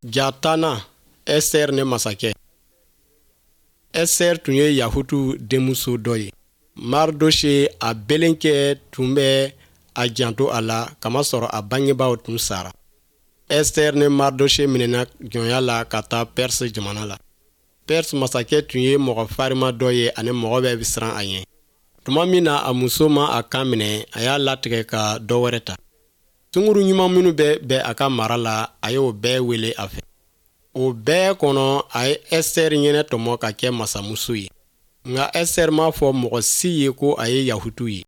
Ja tannan Esiteri ni masakɛ. Esiteri tun ye Yahutu denmuso dɔ ye. Maridose a belenkɛ tun bɛ a janto a la kamasɔrɔ a bangebaaw tun sara. Esiteri ni Maridose minɛna jɔnya la ka taa Perse jamana la. Perse masakɛ tun ye mɔgɔ farima dɔ ye ani mɔgɔ bɛɛ bɛ siran a ɲɛ. Tuma min na a muso ma a kan minɛ, a y'a latigɛ ka dɔ wɛrɛ ta. Sunguru ɲuman minnu bɛ bɛn a ka mara la, a y'o bɛɛ wele a fɛ. O bɛɛ kɔnɔ, a ye Esiteri ɲɛnatɔmɔ ka kɛ masamuso ye. Nka Esiteri m'a fɔ mɔgɔ si ye ko a ye Yahutu ye.